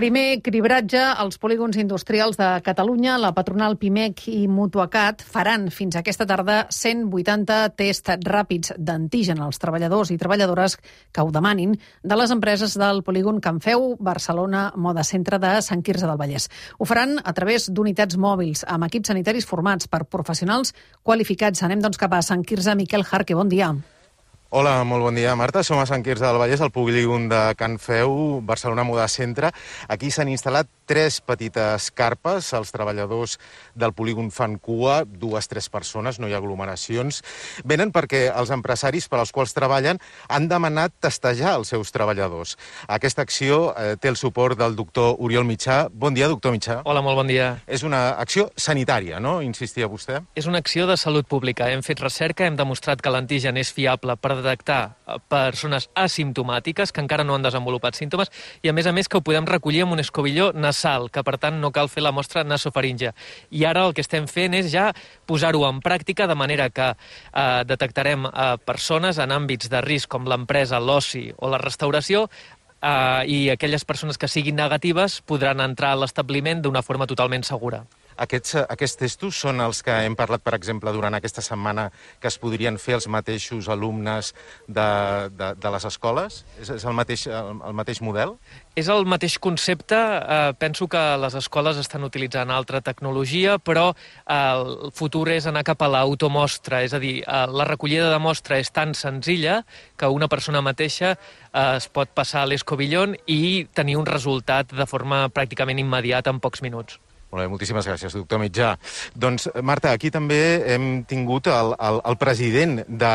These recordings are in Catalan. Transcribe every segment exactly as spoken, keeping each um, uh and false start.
Primer cribratge als polígons industrials de Catalunya. La patronal Pimec i Mutuacat faran fins aquesta tarda cent vuitanta tests ràpids d'antigen als treballadors i treballadores que ho demanin de les empreses del polígon Can Feu, Barcelona Moda Centre de Sant Quirze del Vallès. Ho faran a través d'unitats mòbils amb equips sanitaris formats per professionals qualificats. Anem doncs cap a Sant Quirze. Miquel Jarque, bon dia. Hola, molt bon dia, Marta. Som a Sant Quirze del Vallès, al polígon de Can Feu, Barcelona Moda Centre. Aquí s'han instal·lat tres petites carpes. Els treballadors del polígon fan cua, dues, tres persones, no hi ha aglomeracions. Venen perquè els empresaris per als quals treballen han demanat testejar els seus treballadors. Aquesta acció eh, té el suport del doctor Oriol Mitjà. Bon dia, doctor Mitjà. Hola, molt bon dia. És una acció sanitària, no? Insistia vostè. És una acció de salut pública. Hem fet recerca, hem demostrat que l'antigen és fiable per detectar persones asimptomàtiques que encara no han desenvolupat símptomes i, a més a més, que ho podem recollir amb un escobilló nasal, que, per tant, no cal fer la mostra nasofaríngia. I ara el que estem fent és ja posar-ho en pràctica, de manera que eh, detectarem eh, persones en àmbits de risc com l'empresa, l'oci o la restauració, eh, i aquelles persones que siguin negatives podran entrar a l'establiment d'una forma totalment segura. Aquests, aquests testos són els que hem parlat, per exemple, durant aquesta setmana, que es podrien fer els mateixos alumnes de, de, de les escoles? És, és el, mateix, el, el mateix model? És el mateix concepte. Eh, penso que les escoles estan utilitzant altra tecnologia, però eh, el futur és anar cap a l'automostra. És a dir, eh, la recollida de mostra és tan senzilla que una persona mateixa eh, es pot passar a l'escobillón i tenir un resultat de forma pràcticament immediata en pocs minuts. Molt bé, moltíssimes gràcies, doctor Mitjà. Doncs, Marta, aquí també hem tingut el, el, el president de,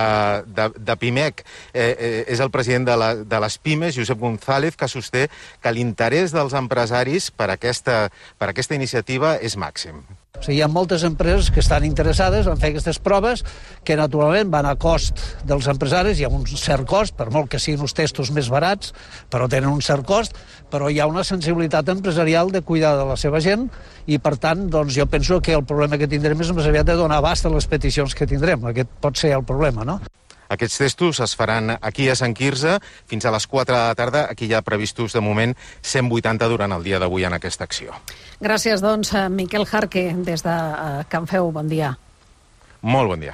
de, de Pimec. Eh, eh, és el president de, la, de les Pimes, Josep González, que sosté que l'interès dels empresaris per aquesta, per aquesta iniciativa és màxim. O sigui, hi ha moltes empreses que estan interessades en fer aquestes proves que, naturalment, van a cost dels empresaris. Hi ha un cert cost, per molt que siguin uns testos més barats, però tenen un cert cost, però hi ha una sensibilitat empresarial de cuidar de la seva gent i, per tant, doncs, jo penso que el problema que tindrem és més aviat de donar abast a les peticions que tindrem. Aquest pot ser el problema, no? Aquests testos es faran aquí a Sant Quirze fins a les quatre de la tarda. Aquí hi ha previstos, de moment, cent vuitanta durant el dia d'avui en aquesta acció. Gràcies, doncs, Miquel Jarque, des de Can Feu. Bon dia. Molt bon dia.